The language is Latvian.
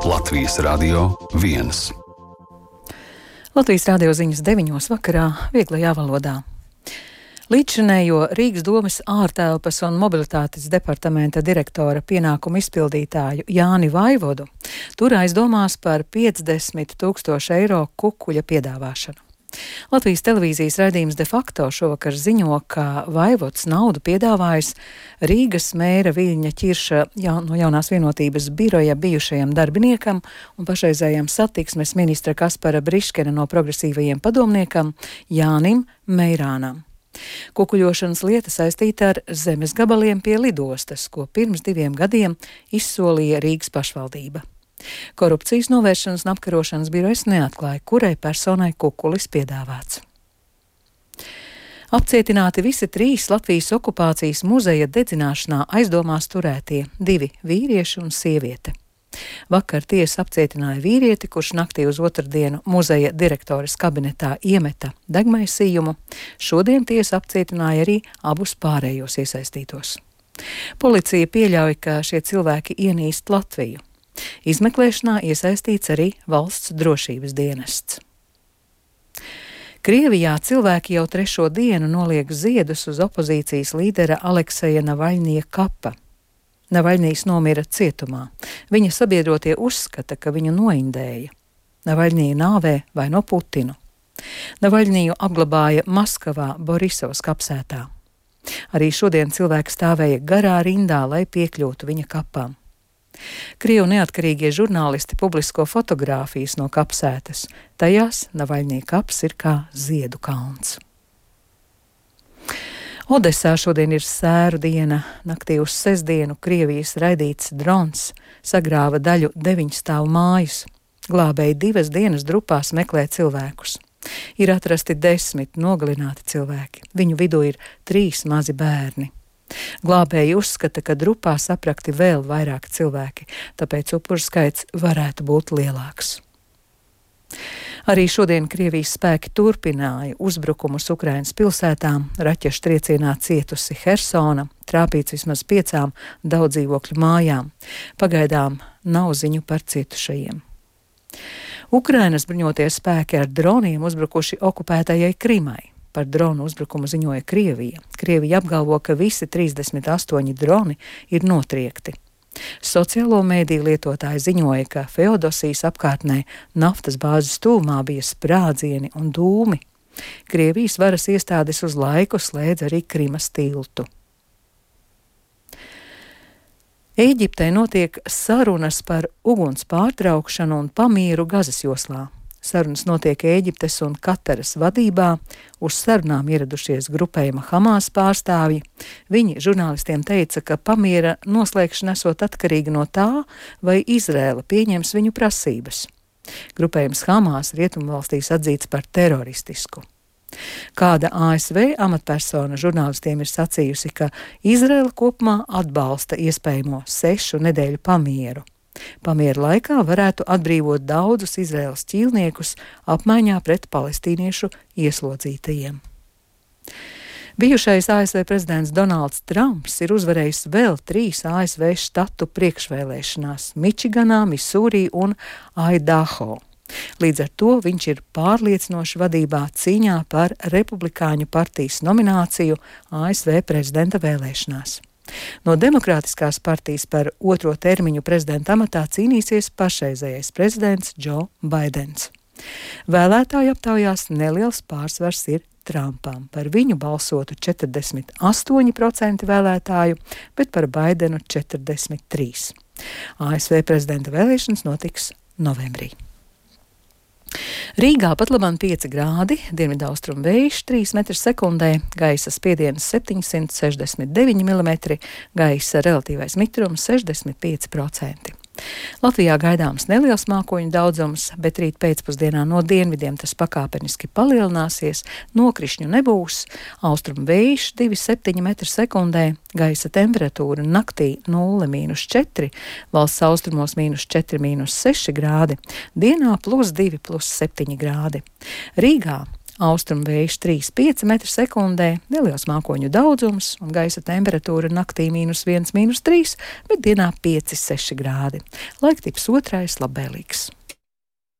Latvijas Radio 1. Latvijas radio ziņas 9. vakarā vieglajā valodā. Līdzšinējo Rīgas domes ārtelpas un mobilitātes departamenta direktora pienākumu izpildītāju Jāni Vaivodu tur aizdomās par 50 000 eiro kukuļa piedāvāšanu. Latvijas televīzijas raidījums De facto šovakar ziņo, ka Vaivods naudu piedāvājis Rīgas mēra Viļņa Ķirša no Jaunās vienotības biroja bijušajam darbiniekam un pašreizējam satiksmes ministra Kaspara Briškena no progresīvajiem padomniekam Jānim Meirānam. Kukuļošanas lieta saistīta ar zemes gabaliem pie lidostas, ko pirms 2 gadiem izsolīja Rīgas pašvaldība. Korupcijas novēršanas un apkarošanas birojas neatklāja, kurai personai kukulis piedāvāts. Apcietināti visi 3 Latvijas okupācijas muzeja dedzināšanā aizdomās turētie 2 vīrieši un sieviete. Vakar tiesa apcietināja vīrieti, kurš naktī uz otrdienu muzeja direktores kabinetā iemeta degmaisījumu. Šodien tiesa apcietināja arī abus pārējos iesaistītos. Policija pieļauj, ka šie cilvēki ienīst Latviju. Izmeklēšanā iesaistīts arī valsts drošības dienests. Krievijā cilvēki jau 3. dienu noliek ziedus uz opozīcijas līdera Alekseja Navaļņija kapa. Navaļņijs nomira cietumā. Viņa sabiedrotie uzskata, ka viņu noindēja. Navaļņija nāvē vaino Putinu. Navaļņiju apglabāja Maskavā Borisovas kapsētā. Arī šodien cilvēki stāvēja garā rindā, lai piekļūtu viņa kapām. Krievu neatkarīgie žurnālisti publisko fotogrāfijas no kapsētas. Tajās Navaļņija kaps ir kā ziedu kalns. Odesā šodien ir sēru diena. Naktī uz sestdienu Krievijas raidīts drons sagrāva daļu 9 stāvu mājas. Glābēji 2 dienas drupās meklē cilvēkus. Ir atrasti 10 nogalināti cilvēki. Viņu vidū ir 3 mazi bērni. Glābēji uzskata, ka drupā saprakti vēl vairāk cilvēki, tāpēc upuru skaits varētu būt lielāks. Arī šodien Krievijas spēki turpināja uzbrukumus Ukrainas pilsētām. Raķešu triecienā cietusi Hersona, trāpīts vismaz 5 daudzdzīvokļu mājām. Pagaidām nav ziņu par cietušajiem. Ukrainas bruņotie spēki ar droniem uzbrukuši okupētajai Krimai. Par dronu uzbrukumu ziņoja Krievija. Krievija apgalvo, ka visi 38 droni ir notriekti. Sociālo mēdīju lietotāji ziņoja, ka Feodosijas apkārtnē naftas bāzes tūmā bija sprādzieni un dūmi. Krievijas varas iestādes uz laiku slēdz arī Krimas tiltu. Ēģiptē notiek sarunas par uguns pārtraukšanu un pamieru Gazas joslā. Sarunas notiek Ēģiptes un Kataras vadībā. Uz sarunām ieradušies grupējuma Hamas pārstāvji. Viņi žurnālistiem teica, ka pamiera noslēgšana esot atkarīga no tā, vai Izrēla pieņems viņu prasības. Grupējums Hamas rietumvalstīs atzīts par teroristisku. Kāda ASV amatpersona žurnālistiem ir sacījusi, ka Izrēla kopumā atbalsta iespējamo 6 nedēļu pamieru. Pamiera laikā varētu atbrīvot daudzus Izraēlas ķīlniekus apmaiņā pret palestīniešu ieslodzītajiem. Bijušais ASV prezidents Donalds Trumps ir uzvarējis vēl 3 ASV štatu priekšvēlēšanās - Mičiganā, Misūrī un Aidaho. Līdz ar to viņš ir pārliecinoši vadībā cīņā par Republikāņu partijas nomināciju ASV prezidenta vēlēšanās. No Demokrātiskās partijas par 2. termiņu prezidenta amatā cīnīsies pašreizējais prezidents Džo Baidens. Vēlētāju aptaujās neliels pārsvars ir Trumpam. Par viņu balsotu 48% vēlētāju, bet par Baidenu 43%. ASV prezidenta vēlēšanas notiks novembrī. Rīgā pat labam 5 grādi, dienvidaustrumu vējš 3 m/sekundē, gaisa spiediens 769 mm, gaisa relatīvais mitrums 65%. Latvijā gaidāms neliels mākoņu daudzums, bet rīt pēcpusdienā no dienvidiem tas pakāpeniski palielināsies, nokrišņu nebūs, austrumu vējš 2,7 m/sekundē, gaisa temperatūra naktī 0–4, valsts austrumos -4–6 grādi, dienā +2–7 grādi. Rīgā Austrumu vējš 3,5 m/sekundē, neliels mākoņu daudzums un gaisa temperatūra naktī -1, -3, bet dienā 5-6 grādi. Laiktips otrais labvēlīgs.